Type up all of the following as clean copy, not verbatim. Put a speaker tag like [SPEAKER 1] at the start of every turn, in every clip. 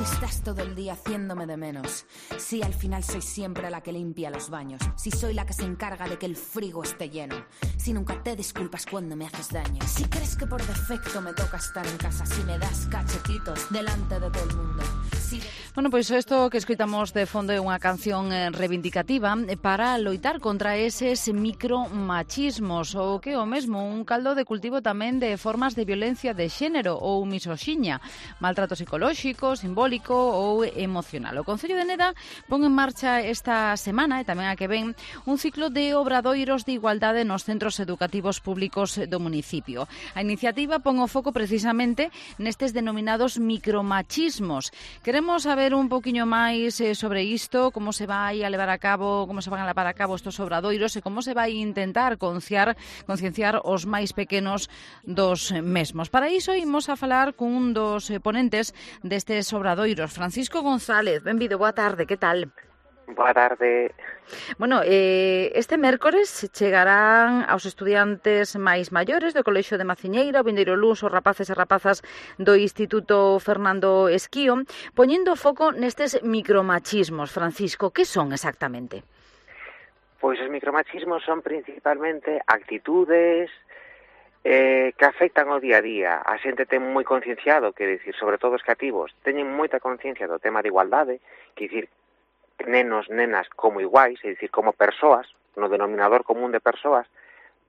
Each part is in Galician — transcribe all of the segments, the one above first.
[SPEAKER 1] estás todo el día haciéndome de menos, si al final soy siempre la que limpia los baños, si soy la que se encarga de que el frigo esté lleno, si nunca te disculpas cuando me haces daño, si crees que por defecto me toca estar en casa, si me das cachetitos delante de todo el mundo.
[SPEAKER 2] Bueno, pois isto que escoitamos de fondo é unha canción reivindicativa para loitar contra eses micromachismos, ou que é o mesmo, un caldo de cultivo tamén de formas de violencia de xénero ou misoxiña, maltrato psicolóxico, simbólico ou emocional. O Concello de Neda pon en marcha esta semana, e tamén a que ven, un ciclo de obradoiros de igualdade nos centros educativos públicos do municipio. A iniciativa pon o foco precisamente nestes denominados micromachismos. Queremos saber un poquinho máis sobre isto, como se vai a levar a cabo, como se van a levar a cabo estos obradoiros e como se vai intentar concienciar os máis pequenos dos mesmos. Para iso imos a falar cun dos ponentes destes obradoiros, Francisco González. Benvido, boa tarde, que tal?
[SPEAKER 3] Boa tarde.
[SPEAKER 2] Bueno, este mércores chegarán aos estudiantes máis maiores do Colexio de Maciñeira, o vindeiro luns, os rapaces e rapazas do Instituto Fernando Esquío, poñendo foco nestes micromachismos. Francisco, que son exactamente?
[SPEAKER 3] Pois os micromachismos son principalmente actitudes que afectan ao día a día. A xente ten moi concienciado, que dicir, sobre todo os cativos, teñen moita conciencia do tema de igualdade, que dicir, nenos, nenas como iguais, é dicir, como persoas, no denominador común de persoas,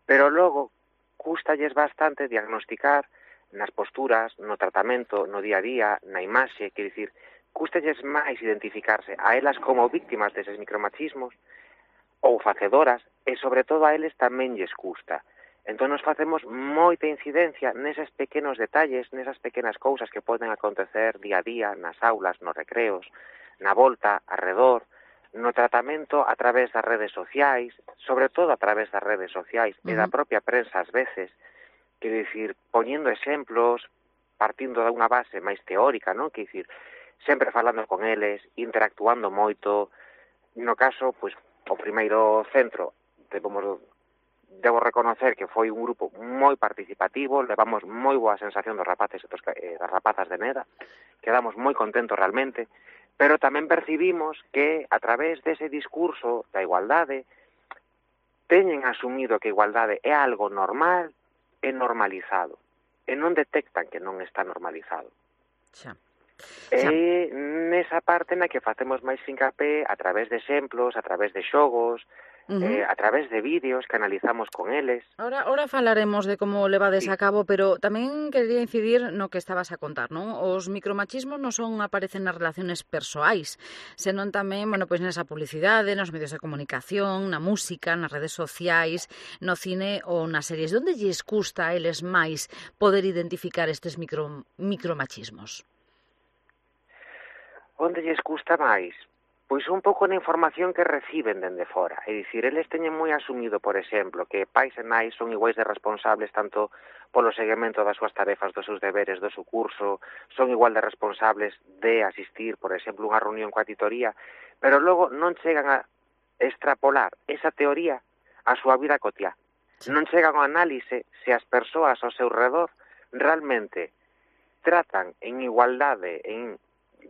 [SPEAKER 3] pero logo custalles bastante diagnosticar nas posturas, no tratamento, no día a día, na imaxe, que dicir, custalles máis identificarse a elas como víctimas deses micromachismos ou facedoras, e sobre todo a eles tamén lles custa. Entón nos facemos moita incidencia neses pequenos detalles, nesas pequenas cousas que poden acontecer día a día, nas aulas, nos recreos, na volta, arredor, no tratamento a través das redes sociais, sobre todo a través das redes sociais e da propia prensa ás veces, que dicir, poñendo exemplos, partindo de unha base máis teórica, non? Que dicir, sempre falando con eles, interactuando moito. No caso, pois, o primeiro centro, debo reconocer que foi un grupo moi participativo, levamos moi boa sensación dos rapaces e das rapazas de Neda, quedamos moi contentos realmente, pero tamén percibimos que a través dese discurso da igualdade teñen asumido que a igualdade é algo normal e normalizado, e non detectan que non está normalizado.
[SPEAKER 2] Xa.
[SPEAKER 3] E nesa parte na que facemos máis fincapé a través de exemplos, a través de xogos, a través de vídeos que analizamos con eles.
[SPEAKER 2] Ahora falaremos de como levades a cabo, pero tamén quería incidir no que estabas a contar, non? Os micromachismos non son aparecen nas relaciones persoais, senón tamén, bueno, pois nesa publicidade, nos medios de comunicación, na música, nas redes sociais, no cine ou nas series. Onde lles custa a eles máis poder identificar estes micromachismos?
[SPEAKER 3] Onde lles custa máis? Pois un pouco na información que reciben dende fora. É dicir, eles teñen moi asumido, por exemplo, que pais e nais son iguais de responsables tanto polo seguimento das súas tarefas, dos seus deberes, do seu curso, son igual de responsables de asistir, por exemplo, unha reunión coa titoría, pero logo non chegan a extrapolar esa teoría á súa vida cotiá. Non chegan ao análise se as persoas ao seu redor realmente tratan en igualdade,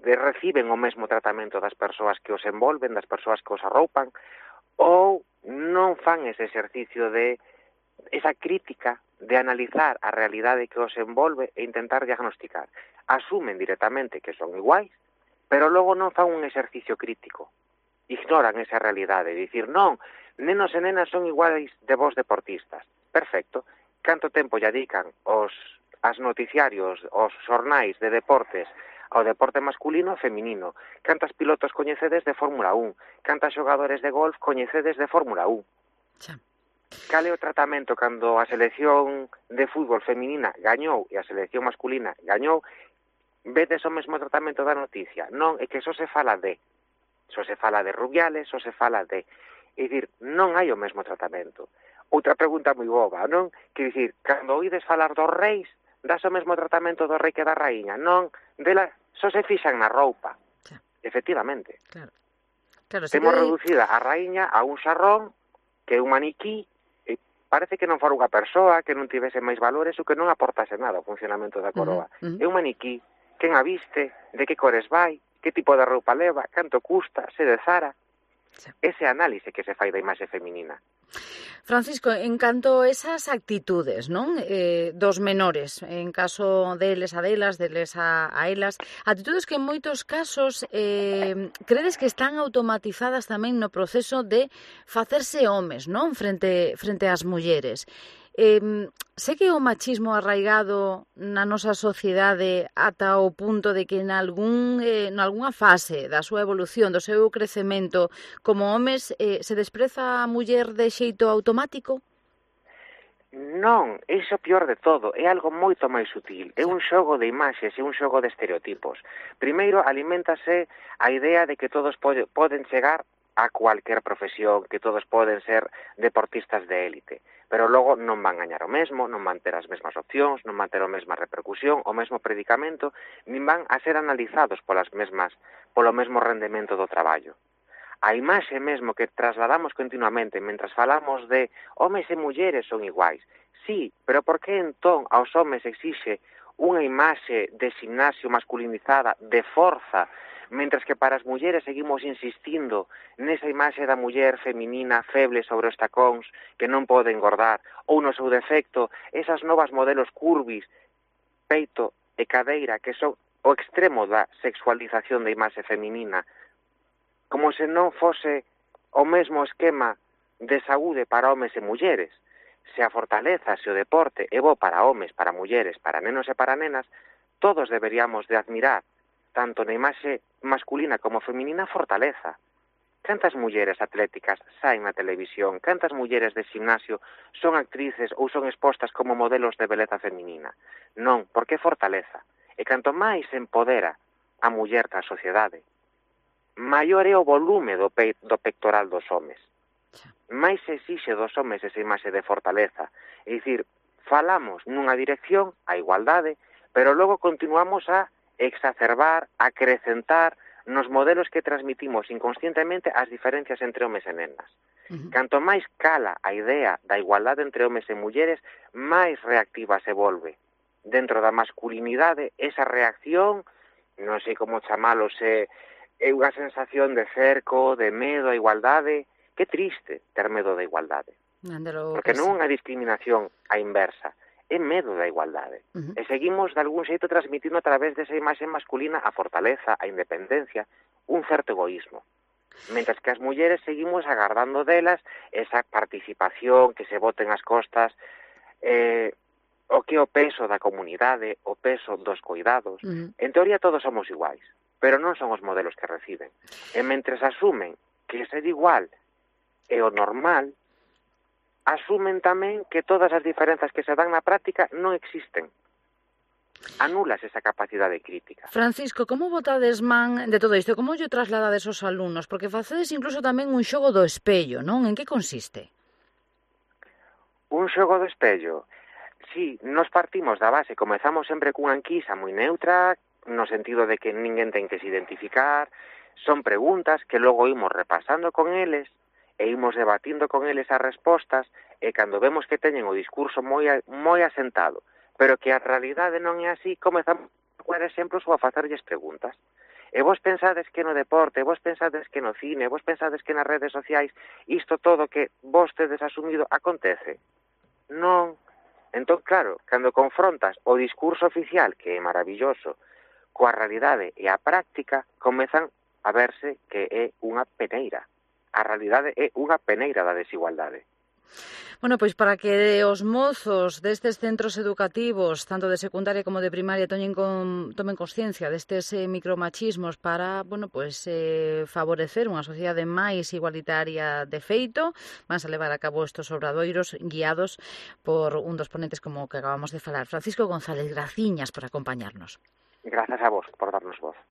[SPEAKER 3] reciben o mesmo tratamento das persoas que os envolven, das persoas que os arroupan, ou non fan ese exercicio de esa crítica de analizar a realidade que os envolve e intentar diagnosticar. Asumen directamente que son iguais, pero logo non fan un exercicio crítico. Ignoran esa realidade, dicir, non, nenos e nenas son iguais de vos deportistas. Perfecto. Canto tempo lle dedican os noticiarios, os xornais de deportes ao deporte masculino e feminino? Cantas pilotos coñecedes de Fórmula 1? Cantas xogadores de golf coñecedes de Fórmula 1?
[SPEAKER 2] Xa.
[SPEAKER 3] Cal é o tratamento cando a selección de fútbol feminina gañou e a selección masculina gañou? Vedes o mesmo tratamento da noticia? Non, é que só se fala de Rubiales, só se fala de... É dicir, non hai o mesmo tratamento. Outra pregunta moi boba, non? Que dicir, cando oídes falar dos reis, das o mesmo tratamento do rei que da raíña, non? Dela só se fixan na roupa.
[SPEAKER 2] Xa.
[SPEAKER 3] Efectivamente.
[SPEAKER 2] Claro,
[SPEAKER 3] Temos reducida a raíña a un xarrón, que é un maniquí, e parece que non fora unha persoa, que non tivese máis valores ou que non aportase nada ao funcionamento da coroa. É un maniquí que quen a viste, de que cores vai, que tipo de roupa leva, canto custa, se de Zara. Ese análise que se fai da imaxe feminina.
[SPEAKER 2] Francisco, en canto a esas actitudes, non? Dos menores, en caso deles a delas, deles a elas, actitudes que en moitos casos credes que están automatizadas tamén no proceso de facerse homes, non? Frente ás mulleres. Sei que o machismo arraigado na nosa sociedade ata o punto de que nalgúnha fase da súa evolución, do seu crecemento como homes, se despreza a muller de xeito automático?
[SPEAKER 3] Non, iso pior de todo, é algo moito máis sutil, é un xogo de imaxes, é un xogo de estereotipos. Primeiro, aliméntase a idea de que todos poden chegar a cualquier profesión, que todos poden ser deportistas de élite, pero logo non van gañar o mesmo, non van ter as mesmas opcións, non van ter a mesma repercusión, o mesmo predicamento, nin van a ser analizados polo mesmo rendemento do traballo. A imaxe mesmo que trasladamos continuamente mentras falamos de homes e mulleres son iguais. Sí, pero por que entón aos homes exixe unha imaxe de gimnasio masculinizada, de forza, mentras que para as mulleres seguimos insistindo nesa imaxe da muller feminina feble sobre os tacóns que non pode engordar, ou no seu defecto, esas novas modelos curvis, peito e cadeira que son o extremo da sexualización da imaxe feminina, como se non fose o mesmo esquema de saúde para homes e mulleres. Se a fortaleza, se o deporte é bo para homes, para mulleres, para nenos e para nenas, todos deberíamos de admirar tanto na imaxe masculina como feminina fortaleza. Cantas mulleres atléticas saen na televisión, cantas mulleres de gimnasio son actrices ou son expostas como modelos de beleza feminina. Non, porque fortaleza. E canto máis se empodera a muller da sociedade, maior é o volume do pectoral dos homes. Mais se exixe dos homes esa imaxe de fortaleza. É dicir, falamos nunha dirección, a igualdade, pero logo continuamos a exacerbar, acrecentar nos modelos que transmitimos inconscientemente as diferencias entre homes e nenas. Canto máis cala a idea da igualdade entre homes e mulleres, máis reactiva se volve. Dentro da masculinidade, esa reacción, non sei como chamalo, é unha sensación de cerco, de medo á igualdade. Que triste ter medo da igualdade. Porque non é unha discriminación á inversa, é medo da igualdade. E seguimos, de algún xeito, transmitindo a través desa imaxe masculina a fortaleza, a independencia, un certo egoísmo. Mentras que as mulleres seguimos agardando delas esa participación, que se boten as costas, o que é o peso da comunidade, o peso dos cuidados. En teoría todos somos iguais, pero non son os modelos que reciben. E mentres asumen que ser igual é o normal, asumen tamén que todas as diferenzas que se dan na práctica non existen. Anulas esa capacidade crítica.
[SPEAKER 2] Francisco, como botades man de todo isto? Como lle trasladades aos alumnos? Porque facedes incluso tamén un xogo do espello, non? En que consiste?
[SPEAKER 3] Un xogo do espello? Sí, nos partimos da base, comezamos sempre cunha enquisa moi neutra, no sentido de que ninguén ten que se identificar, son preguntas que logo imos repasando con eles, e imos debatindo con eles as respostas, e cando vemos que teñen o discurso moi asentado, pero que a realidade non é así, comezamos a poner exemplos ou a facerlles preguntas. E vos pensades que no deporte, vos pensades que no cine, vos pensades que nas redes sociais, isto todo que vos tedes asumido acontece? Non. Entón, claro, cando confrontas o discurso oficial, que é maravilloso, coa realidade e a práctica, comezan a verse que é unha peneira. A realidade é unha peneira da desigualdade.
[SPEAKER 2] Bueno, pois para que os mozos destes centros educativos, tanto de secundaria como de primaria, tomen consciencia destes micromachismos para, favorecer unha sociedade máis igualitaria de feito, van a levar a cabo estes obradoiros guiados por un dos ponentes como o que acabamos de falar. Francisco González, graciñas por acompañarnos.
[SPEAKER 3] Grazas a vos por darnos voz.